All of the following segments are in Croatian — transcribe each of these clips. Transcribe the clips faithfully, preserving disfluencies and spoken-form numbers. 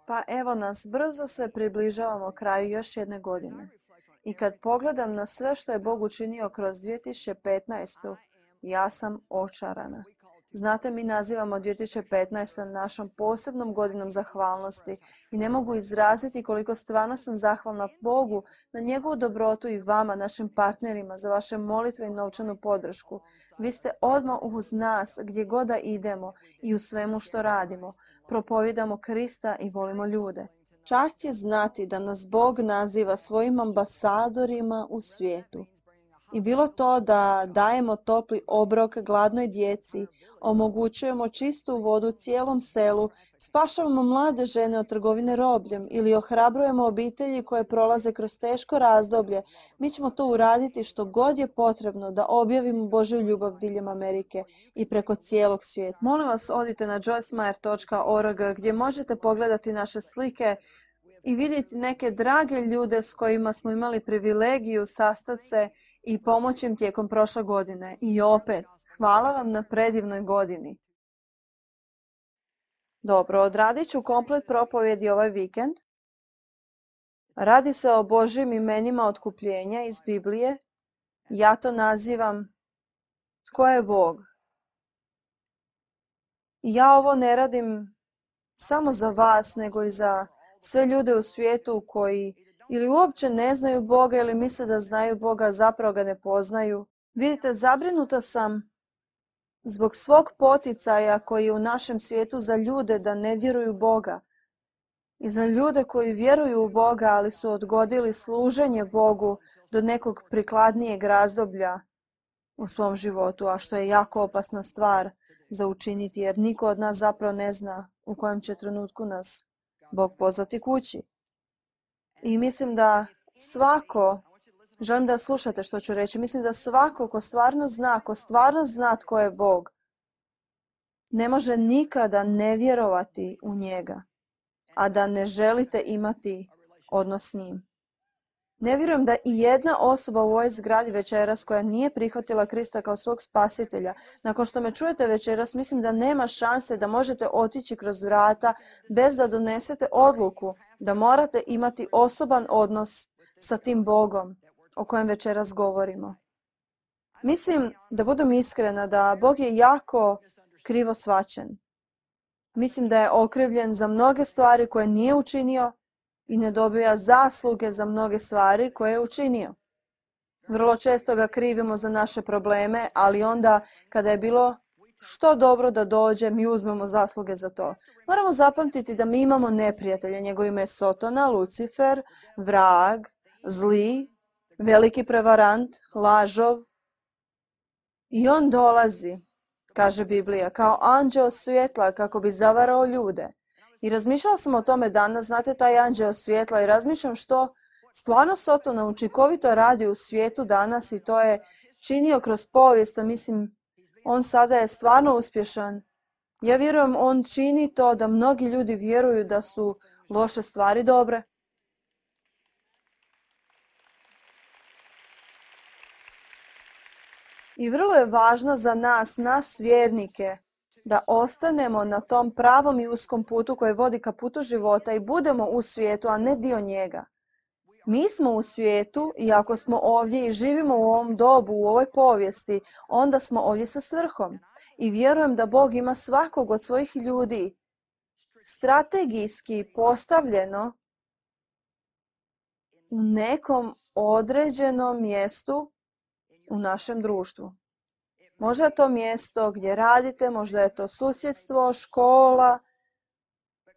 Pa evo nas, brzo se približavamo kraju još jedne godine. I kad pogledam na sve što je Bog učinio kroz dvije tisuće petnaestu, ja sam očarana. Znate, mi nazivamo dvije tisuće petnaestu našom posebnom godinom zahvalnosti i ne mogu izraziti koliko stvarno sam zahvalna Bogu na njegovu dobrotu i vama, našim partnerima, za vaše molitve i novčanu podršku. Vi ste odmah uz nas gdje god da idemo i u svemu što radimo. Propovijedamo Krista i volimo ljude. Čast je znati da nas Bog naziva svojim ambasadorima u svijetu. I bilo to da dajemo topli obrok gladnoj djeci, omogućujemo čistu vodu cijelom selu, spašavamo mlade žene od trgovine robljem ili ohrabrujemo obitelji koje prolaze kroz teško razdoblje, mi ćemo to uraditi što god je potrebno da objavimo Božju ljubav diljem Amerike i preko cijelog svijeta. Molim vas, odite na joyce meyer dot org gdje možete pogledati naše slike i vidjeti neke drage ljude s kojima smo imali privilegiju sastati se i pomoći im tijekom prošle godine. I opet, hvala vam na predivnoj godini. Dobro, odradit ću komplet propovjedi ovaj vikend. Radi se o Božjim imenima otkupljenja iz Biblije. Ja to nazivam tko je Bog. I ja ovo ne radim samo za vas, nego i za sve ljude u svijetu koji ili uopće ne znaju Boga ili misle da znaju Boga, a zapravo ga ne poznaju. Vidite, zabrinuta sam zbog svog poticaja koji je u našem svijetu za ljude da ne vjeruju Boga. I za ljude koji vjeruju u Boga, ali su odgodili služenje Bogu do nekog prikladnijeg razdoblja u svom životu, a što je jako opasna stvar za učiniti, jer niko od nas zapravo ne zna u kojem će trenutku nas Bog pozvati kući. I mislim da svako, želim da slušate što ću reći, mislim da svako ko stvarno zna, ko stvarno zna tko je Bog, ne može nikada ne vjerovati u njega, a da ne želite imati odnos s njim. Ne vjerujem da i jedna osoba u ovoj zgradi večeras koja nije prihvatila Krista kao svog spasitelja, nakon što me čujete večeras, mislim da nema šanse da možete otići kroz vrata bez da donesete odluku da morate imati osoban odnos sa tim Bogom o kojem večeras govorimo. Mislim, da budem iskrena, da Bog je jako krivo shvaćen. Mislim da je okrivljen za mnoge stvari koje nije učinio i ne dobija zasluge za mnoge stvari koje je učinio. Vrlo često ga krivimo za naše probleme, ali onda kada je bilo što dobro da dođe, mi uzmemo zasluge za to. Moramo zapamtiti da mi imamo neprijatelja. Njegovo ime je Sotona, Lucifer, vrag, zli, veliki prevarant, lažov. I on dolazi, kaže Biblija, kao anđeo svjetla kako bi zavarao ljude. I razmišljala sam o tome danas, znate, taj anđeo svjetla, i razmišljam što stvarno Sotona učinkovito radi u svijetu danas i to je činio kroz povijest, a mislim, on sada je stvarno uspješan. Ja vjerujem, on čini to da mnogi ljudi vjeruju da su loše stvari dobre. I vrlo je važno za nas, nas vjernike, da ostanemo na tom pravom i uskom putu koji vodi ka putu života i budemo u svijetu, a ne dio njega. Mi smo u svijetu i ako smo ovdje i živimo u ovom dobu, u ovoj povijesti, onda smo ovdje sa svrhom. I vjerujem da Bog ima svakog od svojih ljudi strategijski postavljeno u nekom određenom mjestu u našem društvu. Možda je to mjesto gdje radite, možda je to susjedstvo, škola,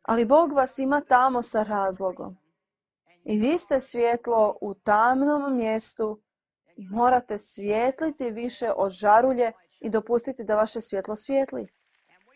ali Bog vas ima tamo sa razlogom. I vi ste svjetlo u tamnom mjestu i morate svijetliti više od žarulje i dopustiti da vaše svjetlo svijetli.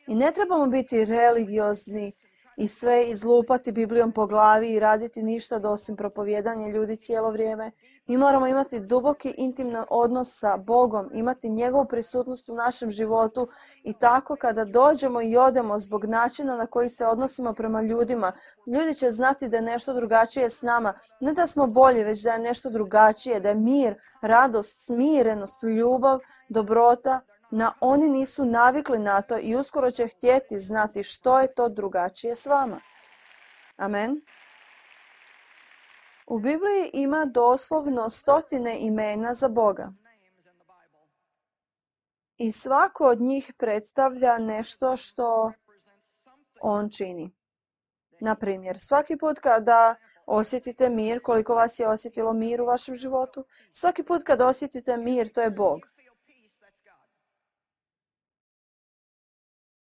I ne trebamo biti religiozni i sve izlupati Biblijom po glavi i raditi ništa osim propovijedanja ljudi cijelo vrijeme. Mi moramo imati duboki intiman odnos sa Bogom, imati njegovu prisutnost u našem životu i tako kada dođemo i odemo zbog načina na koji se odnosimo prema ljudima, ljudi će znati da je nešto drugačije s nama. Ne da smo bolji, već da je nešto drugačije, da je mir, radost, smirenost, ljubav, dobrota. Na, oni nisu navikli na to i uskoro će htjeti znati što je to drugačije s vama. Amen. U Bibliji ima doslovno stotine imena za Boga. I svako od njih predstavlja nešto što on čini. Na primjer, svaki put kada osjetite mir, koliko vas je osjetilo mir u vašem životu, svaki put kada osjetite mir, to je Bog.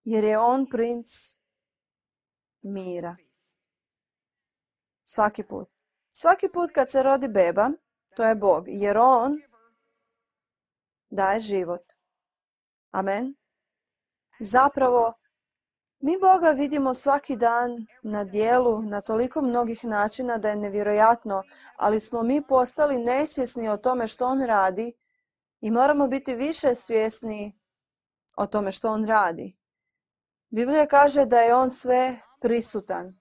Jer je on princ mira. Svaki put. Svaki put kad se rodi beba, to je Bog, jer on daje život. Amen. Zapravo, mi Boga vidimo svaki dan na djelu, na toliko mnogih načina da je nevjerojatno, ali smo mi postali nesvjesni o tome što on radi i moramo biti više svjesni o tome što on radi. Biblija kaže da je on sve prisutan,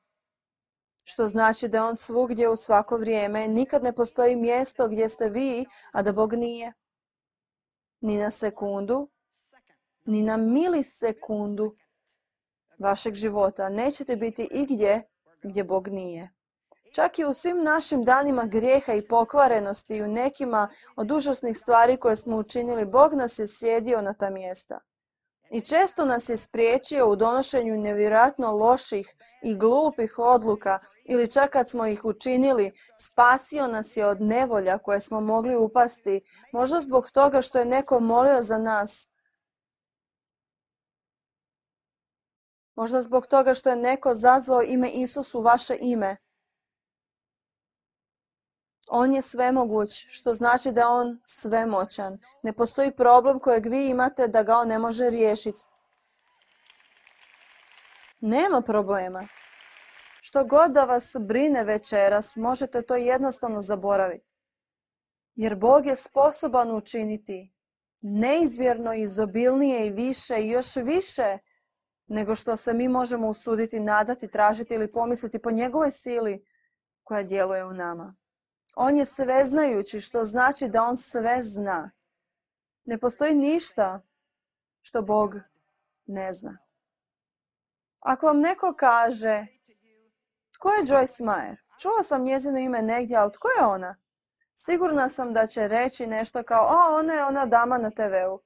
što znači da je on svugdje u svako vrijeme. Nikad ne postoji mjesto gdje ste vi, a da Bog nije. Ni na sekundu, ni na milisekundu vašeg života nećete biti igdje gdje Bog nije. Čak i u svim našim danima grijeha i pokvarenosti i u nekima od užasnih stvari koje smo učinili, Bog nas je sjedio na ta mjesta. I često nas je spriječio u donošenju nevjerojatno loših i glupih odluka ili čak kad smo ih učinili, spasio nas je od nevolja koje smo mogli upasti, možda zbog toga što je neko molio za nas. Možda zbog toga što je neko zazvao ime Isus u vaše ime. On je svemoguć, što znači da je on svemoćan. Ne postoji problem kojeg vi imate da ga on ne može riješiti. Nema problema. Što god da vas brine večeras, možete to jednostavno zaboraviti. Jer Bog je sposoban učiniti neizmjerno izobilnije i više i još više nego što se mi možemo usuditi, nadati, tražiti ili pomisliti po njegovoj sili koja djeluje u nama. On je sveznajući, što znači da on sve zna. Ne postoji ništa što Bog ne zna. Ako vam neko kaže, tko je Joyce Meyer? Čula sam njezino ime negdje, ali tko je ona? Sigurna sam da će reći nešto kao, a ona je ona dama na te veu.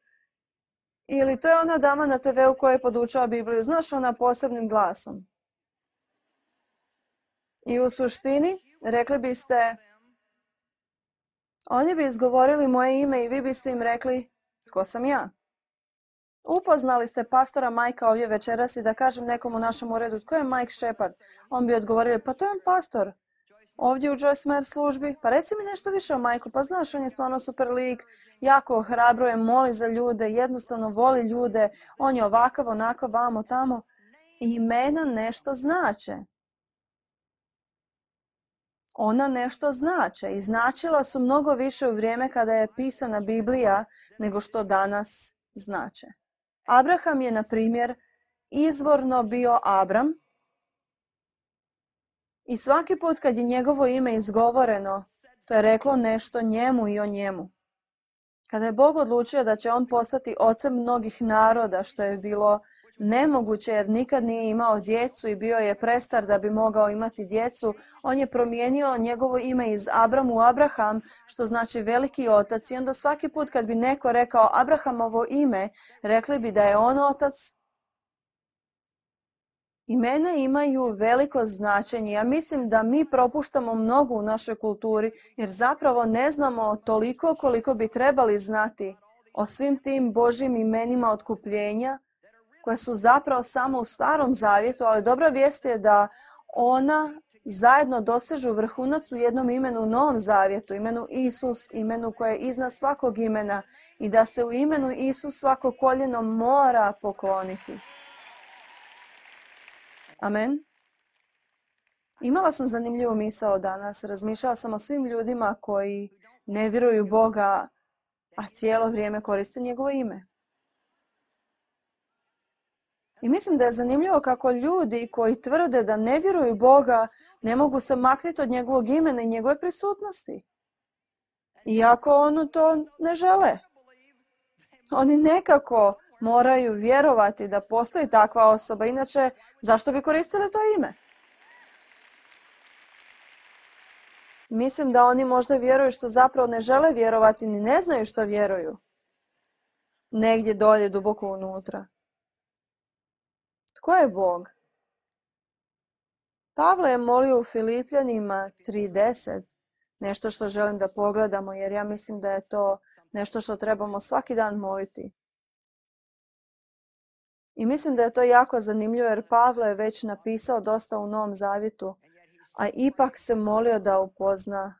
Ili to je ona dama na te veu koja je podučava Bibliju. Znaš, ona posebnim glasom. I u suštini, rekli biste, oni bi izgovorili moje ime i vi biste im rekli, tko sam ja? Upoznali ste pastora Majka ovdje večeras i da kažem nekom u našem uredu, tko je Mike Shepard? On bi odgovorio, pa to je on pastor. Ovdje u Joyce Meyer službi, pa reci mi nešto više o Majku, pa znaš, on je stvarno super lik, jako ohrabruje, moli za ljude, jednostavno voli ljude, on je ovakav, onako, vamo, tamo. I imena nešto znače. Ona nešto znače i značila su mnogo više u vrijeme kada je pisana Biblija nego što danas znače. Abraham je, na primjer, izvorno bio Abram i svaki put kad je njegovo ime izgovoreno, to je reklo nešto njemu i o njemu. Kada je Bog odlučio da će on postati ocem mnogih naroda, što je bilo nemoguće jer nikad nije imao djecu i bio je prestar da bi mogao imati djecu, on je promijenio njegovo ime iz Abram u Abraham, što znači veliki otac. I onda svaki put kad bi neko rekao Abrahamovo ime, rekli bi da je on otac. Imena imaju veliko značenje. Ja mislim da mi propuštamo mnogo u našoj kulturi jer zapravo ne znamo toliko koliko bi trebali znati o svim tim Božjim imenima otkupljenja koje su zapravo samo u Starom Zavjetu, ali dobra vijest je da ona zajedno dosežu vrhunac u jednom imenu u Novom Zavjetu, imenu Isus, imenu koje je iznad svakog imena i da se u imenu Isus svako koljeno mora pokloniti. Amen. Imala sam zanimljivu misao danas. Razmišljala sam o svim ljudima koji ne vjeruju Boga, a cijelo vrijeme koriste njegovo ime. I mislim da je zanimljivo kako ljudi koji tvrde da ne vjeruju Boga ne mogu se maknuti od njegovog imena i njegove prisutnosti. Iako oni to ne žele. Oni nekako moraju vjerovati da postoji takva osoba, inače zašto bi koristili to ime? Mislim da oni možda vjeruju što zapravo ne žele vjerovati, ni ne znaju što vjeruju. Negdje dolje, duboko unutra. Tko je Bog? Pavle je molio u Filipljanima tri deset, nešto što želim da pogledamo, jer ja mislim da je to nešto što trebamo svaki dan moliti. I mislim da je to jako zanimljivo, jer Pavle je već napisao dosta u Novom Zavjetu, a ipak se molio da upozna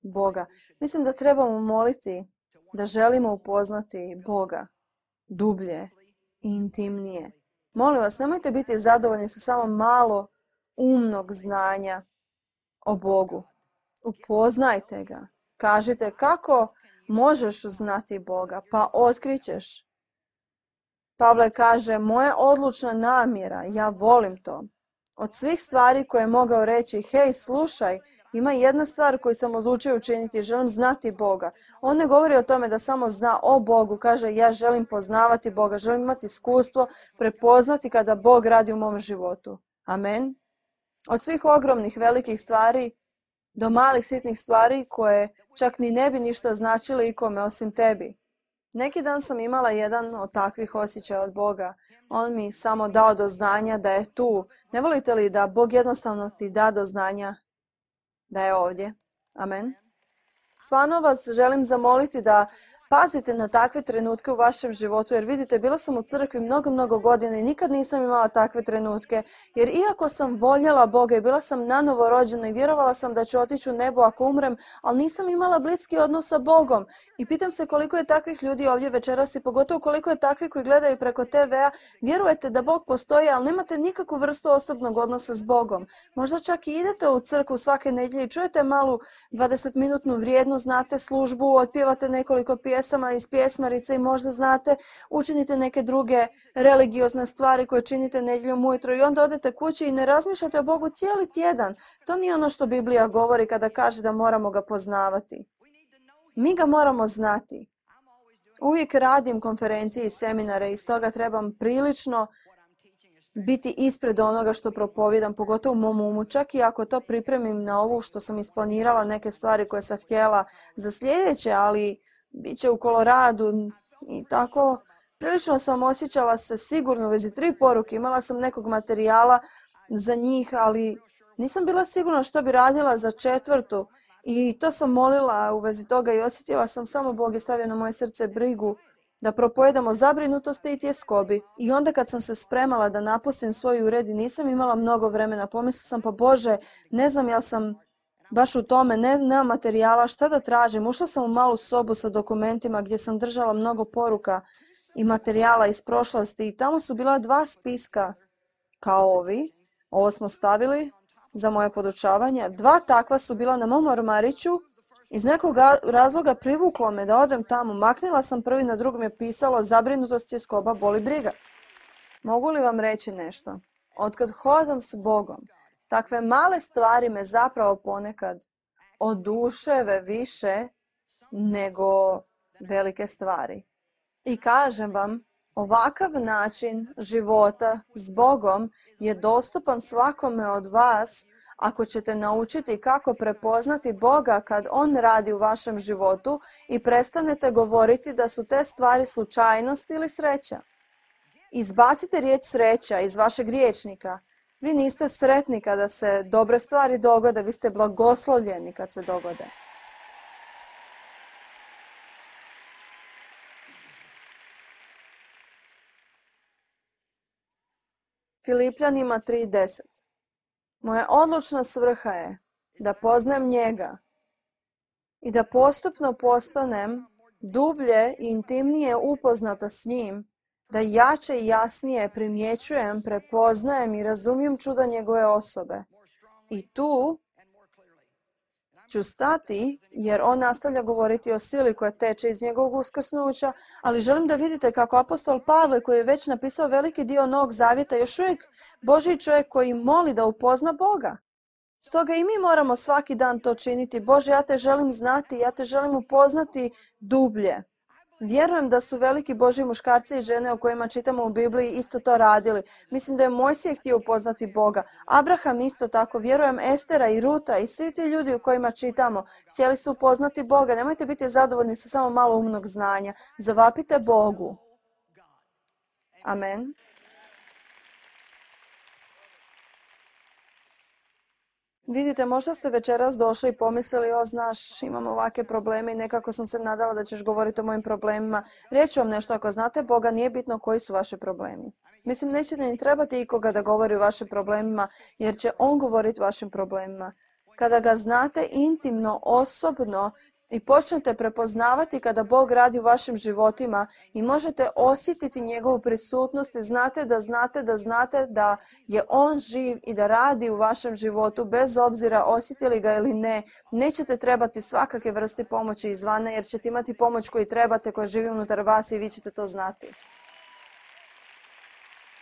Boga. Mislim da trebamo moliti da želimo upoznati Boga dublje i intimnije. Molim vas, nemojte biti zadovoljni sa samo malo umnog znanja o Bogu. Upoznajte ga. Kažite kako možeš znati Boga, pa otkrićeš. Pavle kaže, moja odlučna namjera, ja volim to. Od svih stvari koje je mogao reći, hej, slušaj, ima jedna stvar koju sam odlučio učiniti, želim znati Boga. On ne govori o tome da samo zna o Bogu, kaže, ja želim poznavati Boga, želim imati iskustvo, prepoznati kada Bog radi u mom životu. Amen. Od svih ogromnih, velikih stvari do malih, sitnih stvari koje čak ni ne bi ništa značile ikome osim tebi. Neki dan sam imala jedan od takvih osjećaja od Boga. On mi samo dao do znanja da je tu. Ne volite li da Bog jednostavno ti da do znanja da je ovdje? Amen. Stvarno vas želim zamoliti da pazite na takve trenutke u vašem životu, jer vidite, bila sam u crkvi mnogo, mnogo godina i nikad nisam imala takve trenutke, jer iako sam voljela Boga i bila sam nanovo rođena i vjerovala sam da ću otići u nebo ako umrem, ali nisam imala bliski odnos sa Bogom. I pitam se koliko je takvih ljudi ovdje večeras i pogotovo koliko je takvih koji gledaju preko te vea, vjerujete da Bog postoji, ali nemate nikakvu vrstu osobnog odnosa s Bogom. Možda čak i idete u crkvu svake nedjelje i čujete malu dvadesetminutnu vrijednu, znate službu, otpjevate nekoliko pjesama, pjesama iz pjesmarice i možda znate, učinite neke druge religiozne stvari koje činite nedjeljom ujutro i onda odete kući i ne razmišljate o Bogu cijeli tjedan. To nije ono što Biblija govori kada kaže da moramo ga poznavati. Mi ga moramo znati. Uvijek radim konferencije i seminare i stoga trebam prilično biti ispred onoga što propovijedam, pogotovo u mom umu, čak i ako to pripremim na ovu što sam isplanirala, neke stvari koje sam htjela za sljedeće, ali bit će u Koloradu i tako. Prilično sam osjećala se sigurno u vezi tri poruke. Imala sam nekog materijala za njih, ali nisam bila sigurna što bi radila za četvrtu. I to sam molila u vezi toga i osjetila sam samo Bog je stavio na moje srce brigu da propojedamo zabrinutosti i tjeskobi. I onda kad sam se spremala da napustim svoj ured i nisam imala mnogo vremena, pomislila sam pa Bože, ne znam jel sam baš u tome, ne, nemam materijala, šta da tražim. Ušla sam u malu sobu sa dokumentima gdje sam držala mnogo poruka i materijala iz prošlosti i tamo su bila dva spiska kao ovi. Ovo smo stavili za moje podučavanje. Dva takva su bila na mom ormariću. Iz nekog razloga privuklo me da odem tamo. Maknila sam prvi, na drugom je pisalo zabrinutost, tjeskoba, boli, briga. Mogu li vam reći nešto? Otkad hodam s Bogom, takve male stvari me zapravo ponekad oduševe više nego velike stvari. I kažem vam, ovakav način života s Bogom je dostupan svakome od vas ako ćete naučiti kako prepoznati Boga kad On radi u vašem životu i prestanete govoriti da su te stvari slučajnost ili sreća. Izbacite riječ sreća iz vašeg rječnika. Vi niste sretni kada se dobre stvari dogode, vi ste blagoslovljeni kad se dogode. Filipljanima tri deset. Moja odlučna svrha je da poznajem njega i da postupno postanem dublje i intimnije upoznata s njim, da jače i jasnije primjećujem, prepoznajem i razumijem čuda njegove osobe. I tu ću stati jer on nastavlja govoriti o sili koja teče iz njegovog uskrsnuća, ali želim da vidite kako apostol Pavle, koji je već napisao veliki dio Novog Zavjeta, još uvijek Božji čovjek koji moli da upozna Boga. Stoga i mi moramo svaki dan to činiti. Bože, ja te želim znati, ja te želim upoznati dublje. Vjerujem da su veliki Božji muškarci i žene o kojima čitamo u Bibliji isto to radili. Mislim da je Mojsije htio upoznati Boga. Abraham isto tako. Vjerujem Estera i Ruta i svi ti ljudi u kojima čitamo htjeli su upoznati Boga. Nemojte biti zadovoljni sa samo malo umnog znanja. Zavapite Bogu. Amen. Vidite, možda ste večeras došli i pomislili, o znaš, imam ovakve probleme i nekako sam se nadala da ćeš govoriti o mojim problemima. Reći vam nešto, ako znate Boga, nije bitno koji su vaši problemi. Mislim, nećete ni trebati ikoga da govori o vašim problemima, jer će On govoriti o vašim problemima. Kada ga znate intimno, osobno i počnete prepoznavati kada Bog radi u vašim životima i možete osjetiti njegovu prisutnost i znate da znate da znate da je On živ i da radi u vašem životu bez obzira osjetili ga ili ne, nećete trebati svakakve vrste pomoći izvana jer ćete imati pomoć koju trebate, koja živi unutar vas i vi ćete to znati.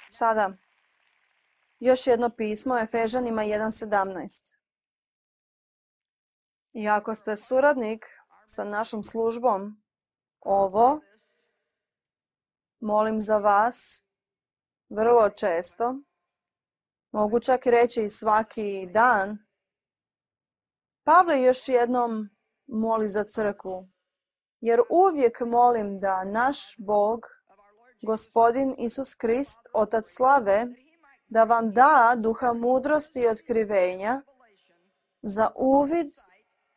Sada, još jedno pismo, Efežanima jedan sedamnaest. I ako ste suradnik sa našom službom, ovo molim za vas vrlo često, mogu čak reći i svaki dan. Pavle još jednom moli za crkvu, jer uvijek molim da naš Bog, Gospodin Isus Krist, Otac slave, da vam da duha mudrosti i otkrivenja za uvid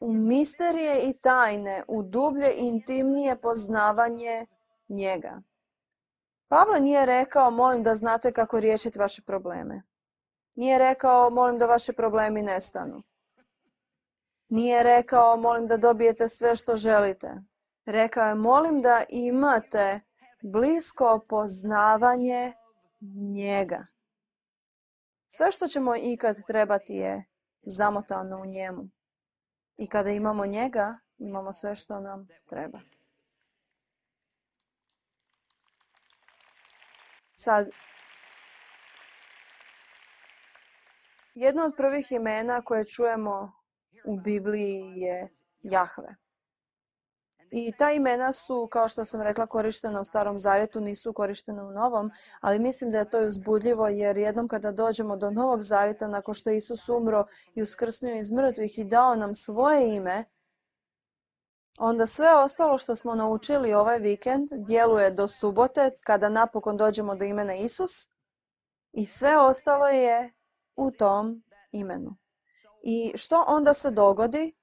u misterije i tajne, u dublje i intimnije poznavanje njega. Pavle nije rekao, molim da znate kako riješiti vaše probleme. Nije rekao, molim da vaši problemi nestanu. Nije rekao, molim da dobijete sve što želite. Rekao je, molim da imate blisko poznavanje njega. Sve što ćemo ikad trebati je zamotano u njemu. I kada imamo njega, imamo sve što nam treba. Sad, jedno od prvih imena koje čujemo u Bibliji je Jahve. I ta imena su, kao što sam rekla, korištena u Starom Zavjetu, nisu korištena u Novom, ali mislim da je to uzbudljivo jer jednom kada dođemo do Novog Zavjeta, nakon što je Isus umro i uskrsnuo iz mrtvih i dao nam svoje ime, onda sve ostalo što smo naučili ovaj vikend djeluje do subote, kada napokon dođemo do imena Isus, i sve ostalo je u tom imenu. I što onda se dogodi?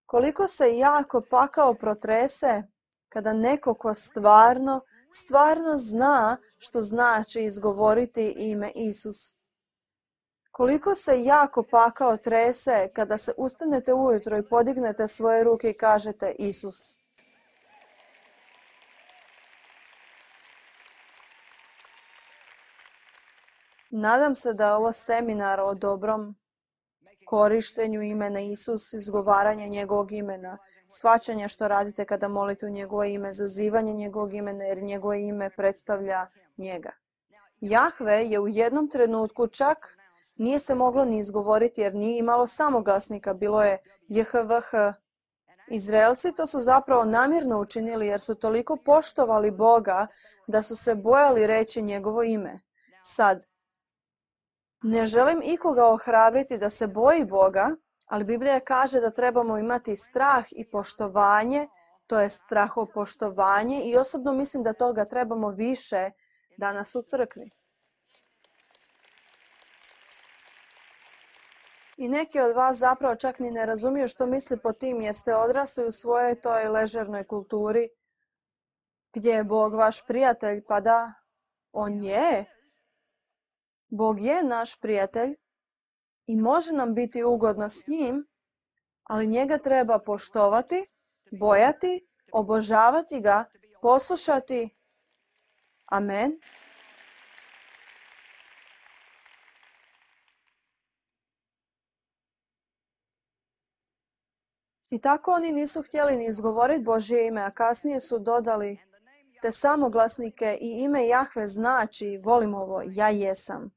Koliko se jako pakao protrese kada neko ko stvarno, stvarno zna što znači izgovoriti ime Isus. Koliko se jako pakao trese kada se ustanete ujutro i podignete svoje ruke i kažete Isus. Nadam se da je ovo seminar o dobrom korištenju imena Isus, izgovaranje njegovog imena, shvaćanje što radite kada molite u njegovo ime, zazivanje njegovog imena jer njegovo ime predstavlja njega. Jahve je u jednom trenutku čak nije se moglo ni izgovoriti jer nije imalo samoglasnika, bilo je J H V H. Izraelci to su zapravo namjerno učinili jer su toliko poštovali Boga da su se bojali reći njegovo ime. Sad, ne želim ikoga ohrabriti da se boji Boga, ali Biblija kaže da trebamo imati strah i poštovanje, to je strahopoštovanje i osobno mislim da toga trebamo više danas u crkvi. I neki od vas zapravo čak ni ne razumiju što misli po tim jer ste odrasli u svojoj toj ležernoj kulturi gdje je Bog vaš prijatelj, pa da, on je. Bog je naš prijatelj i može nam biti ugodno s njim, ali njega treba poštovati, bojati, obožavati ga, poslušati. Amen. I tako oni nisu htjeli ni izgovoriti Božje ime, a kasnije su dodali te samoglasnike i ime Jahve znači, volim ovo, ja jesam.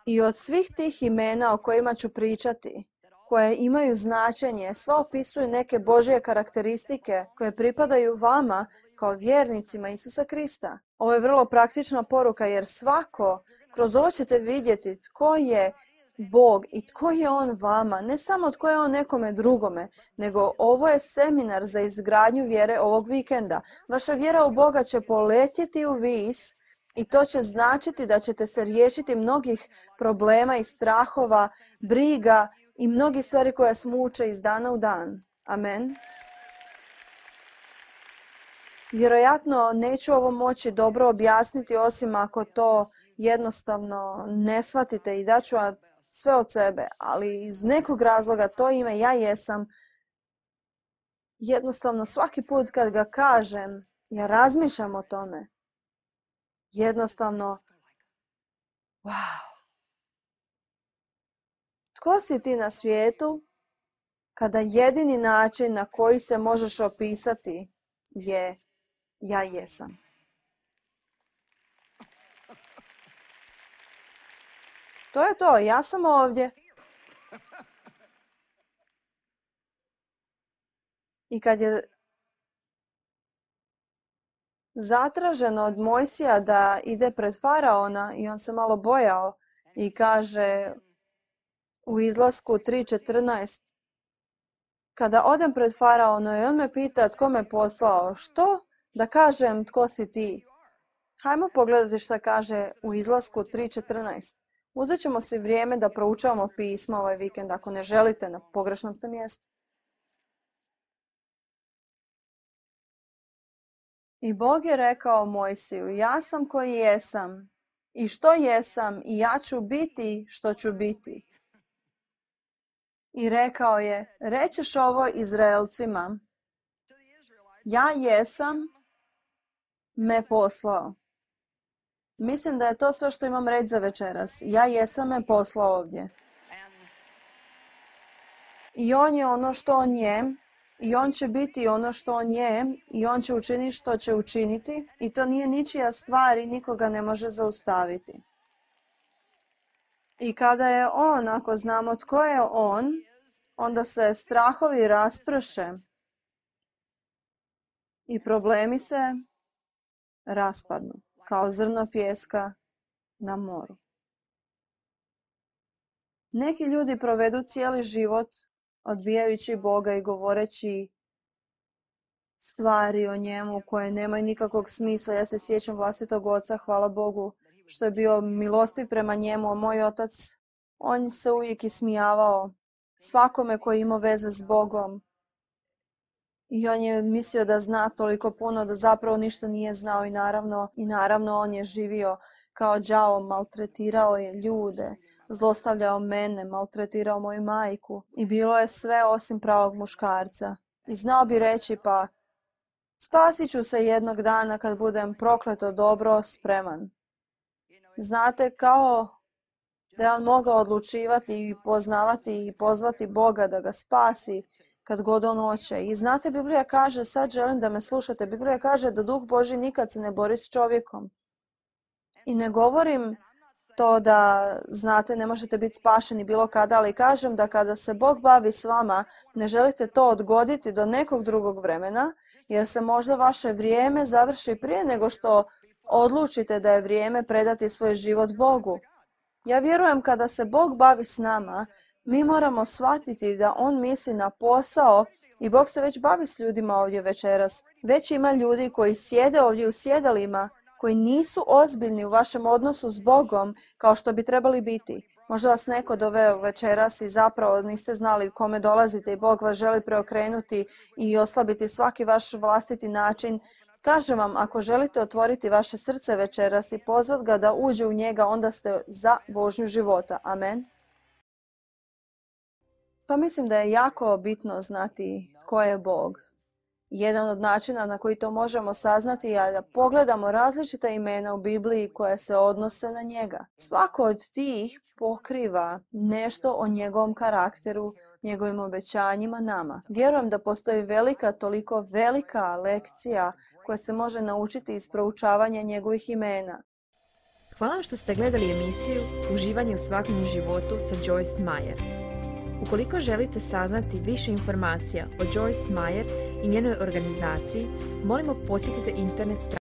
I od svih tih imena o kojima ću pričati, koje imaju značenje, sva opisuju neke Božje karakteristike koje pripadaju vama kao vjernicima Isusa Krista. Ovo je vrlo praktična poruka jer svako, kroz ovo ćete vidjeti tko je Bog i tko je On vama, ne samo tko je On nekome drugome, nego ovo je seminar za izgradnju vjere ovog vikenda. Vaša vjera u Boga će poletjeti u vis i to će značiti da ćete se riješiti mnogih problema i strahova, briga i mnogih stvari koje vas muče iz dana u dan. Amen. Vjerojatno neću ovo moći dobro objasniti osim ako to jednostavno ne shvatite i daću vam sve od sebe, ali iz nekog razloga to ime ja jesam. Jednostavno svaki put kad ga kažem, ja razmišljam o tome. Jednostavno, wow. Tko si ti na svijetu kada jedini način na koji se možeš opisati je ja jesam? To je to, ja sam ovdje. I kad je zatraženo od Mojsija da ide pred faraona i on se malo bojao i kaže u Izlasku tri četrnaest, kada odem pred faraonom i on me pita tko me poslao, što da kažem tko si ti? Hajmo pogledati što kaže u Izlasku tri četrnaest. Uzet ćemo si vrijeme da proučavamo pisma ovaj vikend ako ne želite, na pogrešnom ste mjestu. I Bog je rekao Mojsiju, ja sam koji jesam i što jesam i ja ću biti što ću biti. I rekao je, rećeš ovo Izraelcima, ja jesam me poslao. Mislim da je to sve što imam reći za večeras. Ja jesam me poslao ovdje. I on je ono što on je. I on će biti ono što on je. I on će učiniti što će učiniti. I to nije ničija stvar i nikoga ne može zaustaviti. I kada je on, ako znamo tko je on, onda se strahovi rasprše. I problemi se raspadnu. Kao zrno pijeska na moru. Neki ljudi provedu cijeli život odbijajući Boga i govoreći stvari o njemu koje nemaju nikakvog smisla. Ja se sjećam vlastitog oca, hvala Bogu, što je bio milostiv prema njemu. Moj otac, on se uvijek ismijavao svakome koji imao veze s Bogom. I on je mislio da zna toliko puno da zapravo ništa nije znao i naravno, i naravno on je živio kao đavo, maltretirao je ljude, zlostavljao mene, maltretirao moju majku i bilo je sve osim pravog muškarca. I znao bi reći pa spasit ću se jednog dana kad budem prokleto dobro spreman. Znate, kao da je on mogao odlučivati i poznavati i pozvati Boga da ga spasi kad god on hoće. I znate, Biblija kaže, sad želim da me slušate, Biblija kaže da Duh Božji nikad se ne bori s čovjekom. I ne govorim to da, znate, ne možete biti spašeni bilo kada, ali kažem da kada se Bog bavi s vama, ne želite to odgoditi do nekog drugog vremena, jer se možda vaše vrijeme završi prije nego što odlučite da je vrijeme predati svoj život Bogu. Ja vjerujem kada se Bog bavi s nama, mi moramo shvatiti da on misli na posao i Bog se već bavi s ljudima ovdje večeras. Već ima ljudi koji sjede ovdje u sjedalima, koji nisu ozbiljni u vašem odnosu s Bogom kao što bi trebali biti. Možda vas neko doveo večeras i zapravo niste znali kome dolazite i Bog vas želi preokrenuti i oslabiti svaki vaš vlastiti način. Kažem vam, ako želite otvoriti vaše srce večeras i pozvat ga da uđe u njega, onda ste za vožnju života. Amen. Pa mislim da je jako bitno znati tko je Bog. Jedan od načina na koji to možemo saznati je da pogledamo različita imena u Bibliji koja se odnose na njega. Svako od tih pokriva nešto o njegovom karakteru, njegovim obećanjima nama. Vjerujem da postoji velika, toliko velika lekcija koja se može naučiti iz proučavanja njegovih imena. Hvala što ste gledali emisiju Uživanje u svakodnevnom životu sa Joyce Meyer. Ukoliko želite saznati više informacija o Joyce Meyer i njenoj organizaciji, molimo posjetite internet stranicu